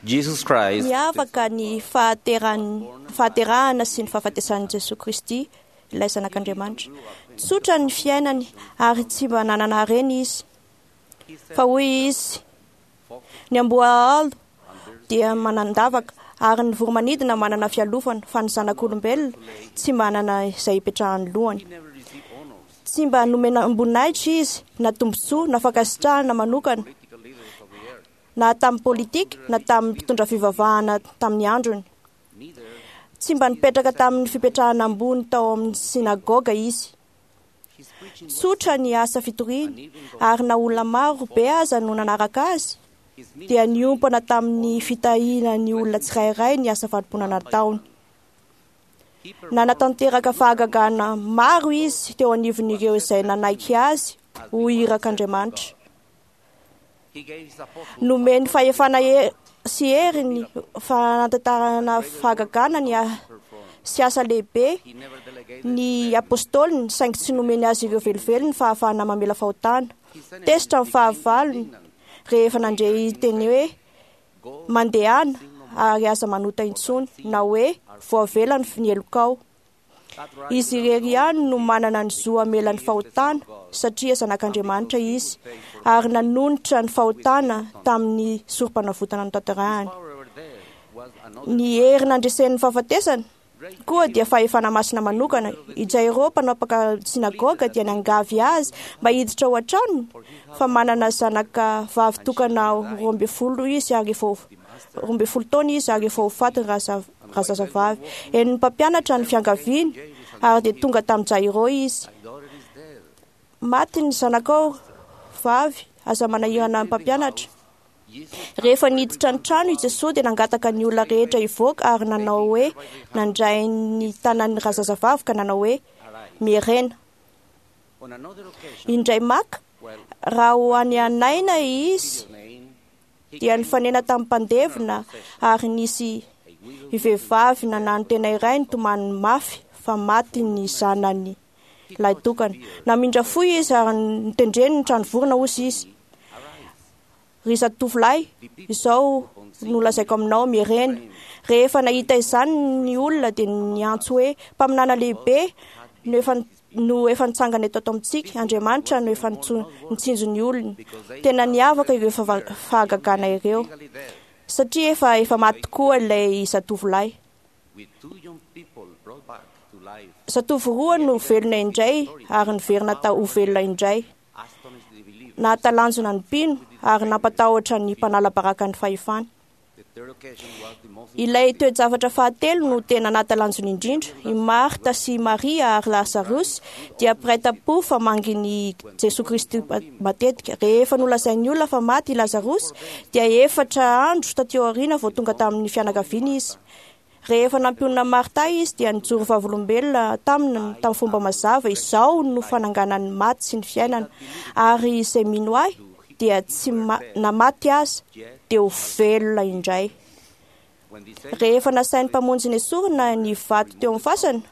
Jesus Christ, Miavaka ny fahaterahana sy ny fahafatesan'i Jesoa Kristy, ilay Zanak'Andriamanitra. Tsotra ny fiainany ary tsy mba nanana harena izy. Fa hoy izy, ny amboahaolo dia manan-davaka ary ny voromanidina manana fialofana, fa ny zanak'olombelona tsy manana izay ipetrahan'ny lohany. Tsy mba nomena voninahitra izy, na tombontsoa, na fankasitrahana manokana, na tamin'ny politika, na tamin'ny mpitondra fivavahana tamin'ny androny. Tsy mba nipetraka tamin'ny fipetrahana ambony tao amin'ny synagoga izy. Tsotra ny asa fitoriany, ary na olona maro be aza no nanaraka azy, dia niompana tamin'ny fitahiana ny olona tsirairay ny asa fanompoana nataony. Nanatanteraka fahagagana maro izy teo anivon'ireo izay nanaiky azy ho irak'Andriamanitra. Nomeny fahefana sy hery ny fanatanterahana fahagagana ny sy asa lehibe ny apôstôliny, saingy tsy nomeny azy ireo velively ny fahafahana mamela fahotana. Tezitra ny fahavalony rehefa nandre teny hoe mandehana ary aza manota intsony, na hoe voavela ny helokao. Izy irery ihany no manana ny zo hamela ny fahotana, satria Zanak'Andriamanitra izy, ary nanonitra ny fahotana tamin'ny sorom-panavotana notanterahany. Ny hery nandresen'ny fahafatesana koa dia fahefana masina manokana. I Jairo, mpanapaka synagoga, dia niangavy azy mba hiditra ao an-tranony, fa manana zanaka vavy tokana 12 izy ary efa 12 taona izy ary efa ho faty razazavavy. Henon'ny mpampianatra ny fiangaviany ary dia tonga tamin'i Jairo izy. Maty ny zanakao vavy, aza manahirana ny mpampianatra. Rehefa niditra ny trano i Jesoa dia nangataka ny olona rehetra hivoaka ary nanao hoe nandray ny tanan'ny razazavavy ka nanao hoe mierena. Indray maka, raha ho any Naina izy dia nifanena tamin'ny mpandevina ary nisy vehivavy nanano tena iray nitomany mafy fa maty ny zanany lahitokana. Namindra fo izy ary notendreny ny trano vorona hozy izy. Ry zatovolahy, izao no lazaiko aminao, mierena. Rehefa nahita izany ny olona dia niantso hoe mpaminana lehibe no efa nitsangana eto amintsika, Andriamanitra no efa nitsinjo ny olony. Tena niavaka ireo fahagagana ireo, satria efa maty tokoa ilay zatovolahy. Zatovo roa no velona indray ary niverina ho velona indray. Nahatalanjona ny mpino ary nampatahotra ny mpanala baraka ny fahefany. Ilay toe-javatra fahatelo no tena nahatalanjona indrindra. I Marta sy Maria ary Lazarosy dia mpiray tam-po fa mangin'i Jesoa Kristy matetika. Rehefa nolazain'ny olona fa maty i Lazarosy dia 4 andro taty aoriana vao tonga tamin'ny fianakaviany izy. Rehefa nampionona Marta izy dia nijoro vavolombelona taminy tamin'ny fomba mazava, izao no fananganan'ny maty sy ny fiainana, ary izay mino ahy dia tsy na maty aza dia ho velona indray. Rehefa nasain'ny mpamonjy nesorina ny vato teo amin'ny fasana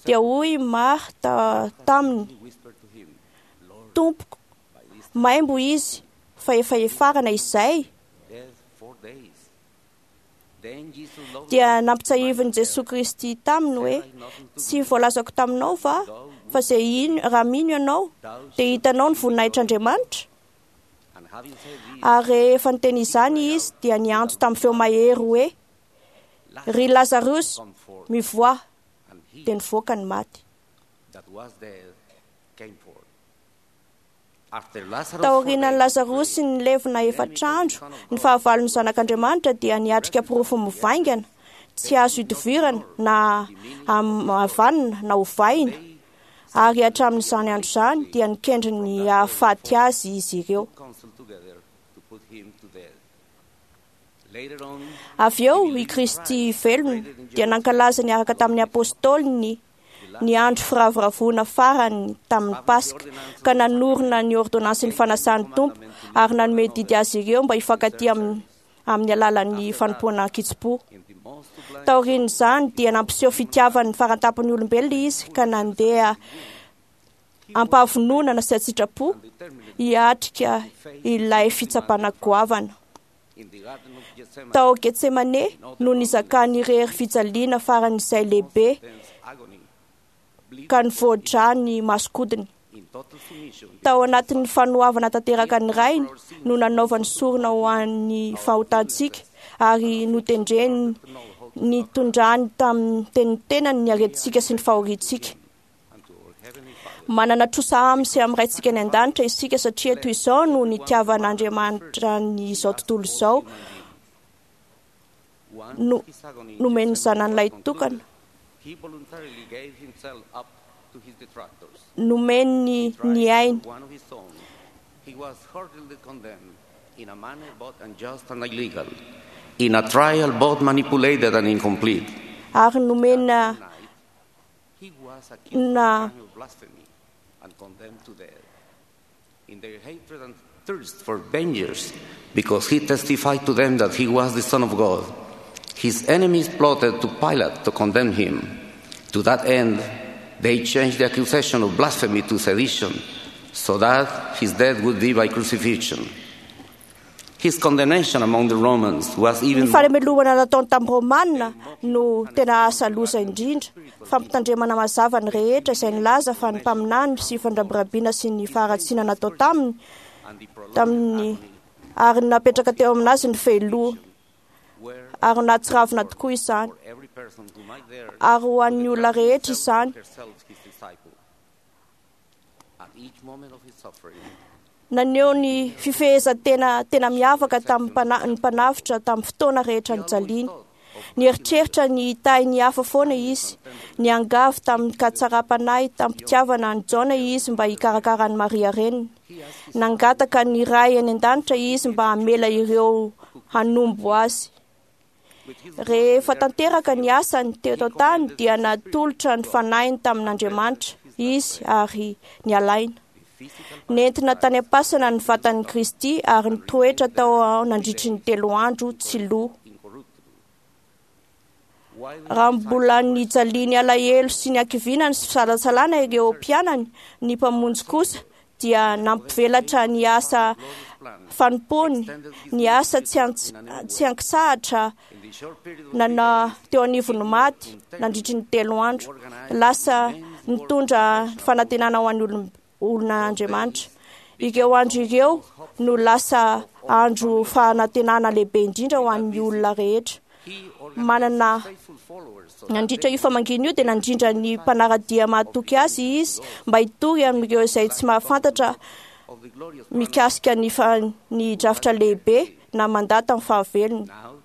dia hoy Marta taminy, Tompoko, maimbo izy fa efa efarana izay. Dia nampitsahivin'i Jesoa Kristy taminy hoe tsy voalazako taminao va fa izay ino raha mino ianao dia hitanao ny voninahitr'Andriamanitra. Ary rehefa niteny izany izy dia niantso tamin'ny feo mahery hoe ry Lazarosy, mivoaha. Dia nivoaka ny maty. Taorianan'i Lazarosy nilevina 4 andro, ny fahavalon'ny Zanak'Andriamanitra dia niatrika porofo mivaingana, tsy azo idovirana na havanina na hovaina, ary hatramin'izany andro izany dia nikendry ny hahafaty azy izy ireo. Avy eo i Kristy velona dia nankalaza niaraka tamin'ny apôstôliny ny andro firavoravoana farany tamin'ny Paska, ka nanorina ny ordonansin'ny fanasan'ny Tompo ary nanome didy azy ireo mba hifankatia amin'ny alalan'ny fanompoana an-kitsim-po. Taorian'izany dia nampiseho fitiavan'ny farantampon'ny olombelona izy ka nandeha ampahavononana sy an-tsitrapo hiatrika ilay fitsapana goavana. Tao Getsemane no nizakany irery fijaliana faran'izay lehibe ka nivoa-drà ny masokodiny. Tao anatin'ny fanoavana tanteraka ny Rainy no nanaovany sorona ho an'ny fahotantsika ary notendreny nitondrany tamin'ny tenitenany ny aretintsika sy ny fahoriantsika. Manana trosa aminy sy amin'ny Raintsika any an-danitra isika satria toy izao no nitiavan'Andriamanitra ny izao tontolo izao no nomen'ny zanany lahitokana. Nomeny ny ainy. In a trial both manipulated and incomplete. Ary nomena He was accused of na the crime of blasphemy and condemned to death. In their hatred and thirst for vengeance, because he testified to them that he was the Son of God, his enemies plotted to Pilate to condemn him. To that end, they changed the accusation of blasphemy to sedition, so that his death would be by crucifixion. His condemnation among the Romans was Ny even more fanamelohana nataony tamin'ny Romanina no tena asa loza indrindra. Fampitandremana mazava ny rehetra izay nilaza fa ny mpaminany sy fandrabirabiana sy ny faharatsiana natao taminy and the prolonged tamin'ny agony ary napetraka teo aminazy ny fehiloha were ary nahatsiravina tokoa izany for every person who might dare ary ho an'ny olona rehetra izany. herself his disciple. At each moment of his suffering, Naneho ny fifehezan-tena tena miavaka tamin'ny mpana- ny mpanavotra tamin'ny fotoana rehetra nijaliany. Nieritreritra ny hitahy ny hafa foana izy. Niangavy tamin'ny katsaram-panahy tamin'ny-pitiavana an'i Jaona izy mba hikarakara an'i Maria reniny. Nangataka ny Ray any an-danitra izy mba hamela ireo hanombo azy. with his Rehefa tanteraka ny asany teto an-tany dia natolotra ny fanahiny tamin'Andriamanitra izy ary nialaina. physical Nentina tany am-pasana ny vatan'i Kristy ary nitoetra tao nandritry ny 3 andro tsy lo. incorruptible. While Raha mbola nijaliany alahelo sy ny hakiviana ny fisalasalana ireo mpianany, ny mpamonjy kosa dia nampivelatra ny asa fanompoany, ny asa tsy tsy ankisahatra in the short period of nana teo anivon'ny maty nandritry ny 3 andro. Lasa nitondra fanantenana ho an'ny olon'Andriamanitra. Ireo andro ireo no lasa andro fanantenana lehibe indrindra ho an'ny olona rehetra. he organized Manana faithful followers so nandritra io famangina io dia nandrindra ny mpanara-dia mahatoky azy izy mba hitory amin'ireo izay tsy mahafantatra of the glorious mikasika ny ny drafitra lehibe na mandà tamin'ny fahavelony. now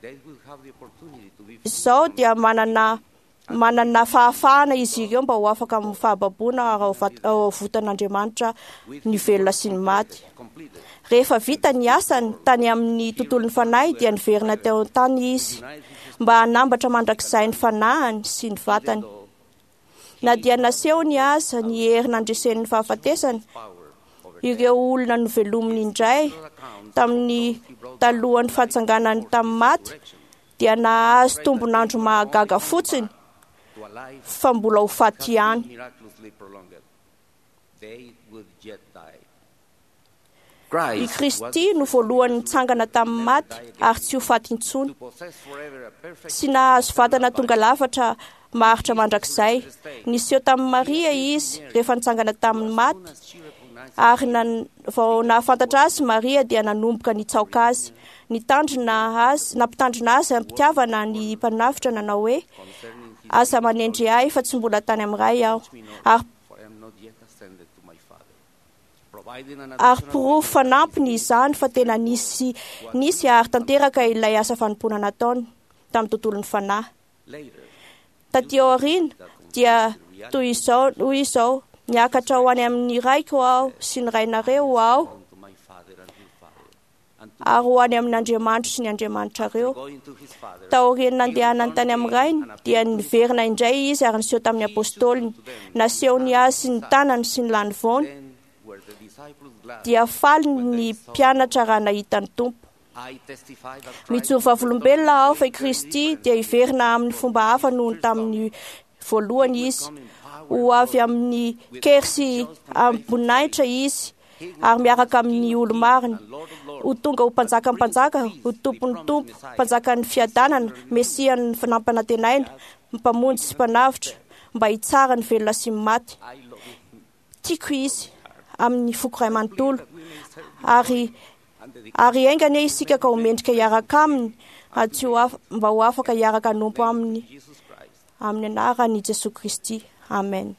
they will have the opportunity to be Izao dia manana fahafahana izy ireo mba ho afaka amin'ny fahababoana ary ho avotan'Andriamanitra ny velona sy ny maty. completed Rehefa vita ny asany tany amin'ny tontolon'ny fanahy dia niverina teo an-tany izy mba hanambatra mandrakizay ny fanahiny sy ny vatany. Na dia nasehony aza ny hery nandresen'ny fahafatesana, power over ireo olona novelominy indray tamin'ny talohan'ny fahatsanganany tamin'ny maty dia nahazo tombon'andro mahagaga fotsiny to a life fa mbola ho faty ihany. miraculously prolonged. They would yet die. I Christ was Kristy no voalohany nitsangana tamin'ny maty ary tsy ho faty intsony. to possess forever a perfect Tsy nahazo vatana tonga lafatra maharitra mandrakizay. Niseho tamin'i Maria izy rehefa nitsangana tamin'ny maty as she recognized ary vao nahafantatra azy Maria dia nanomboka nitsaoka azy. Nitandrina azy, nampitandrina azy am-pitiavana ny mpanavotra nanao hoe concerning his aza manendry ahy fa tsy mbola tany amin'ny Ray aho. Ary for I am not yet ascended to my Father. Providing an ary additional porofo fanampiny izany fa tena nisy ary tanteraka ilay asa fanompoana nataony tamin'ny tontolon'ny fanahy. later, Taty aoriana dia toy izao hoy izao niakatra ho any amin'ny raiko aho sy ny rainareo aho unto my Father and your Father, and to ary ho any amin'Andriamanitro sy ny Andriamanitrareo. going to his Father, Taorian'ny nandehanany tany amin'ny rainy dia niverina indray izy ary niseho tamin'ny apôstôliny. Nasehony azy ny tanany sy ny lanivoany then were the disciples glad. dia faly ny mpianatra raha nahita ny Tompo. I testify that Christ Mijoro vavolombelona aho fa i Kristy dia hiverina amin'ny fomba hafa noho ny tamin'ny voalohany izy. Ho avy amin'ny kery sy am-boninahitra izy ary miaraka amin'ny olo-marina. Ho tonga ho mpanjakan'ny mpanjaka, ho tompon'ny tompo, mpanjakan'ny fiadanana, mesian'ny nampanantenaina, mpamonjy sy mpanavotra, mba hitsara ny velona sy ny maty. Tiako izy amin'ny foko iray manontolo, ary ary enga anie isika ka ho mendrika hiaraka aminy, ary tsy ho af- mba ho afaka hiaraka hanompo aminy Jesus Christ. amin'ny anaran'i Jesoa Kristy. Amen.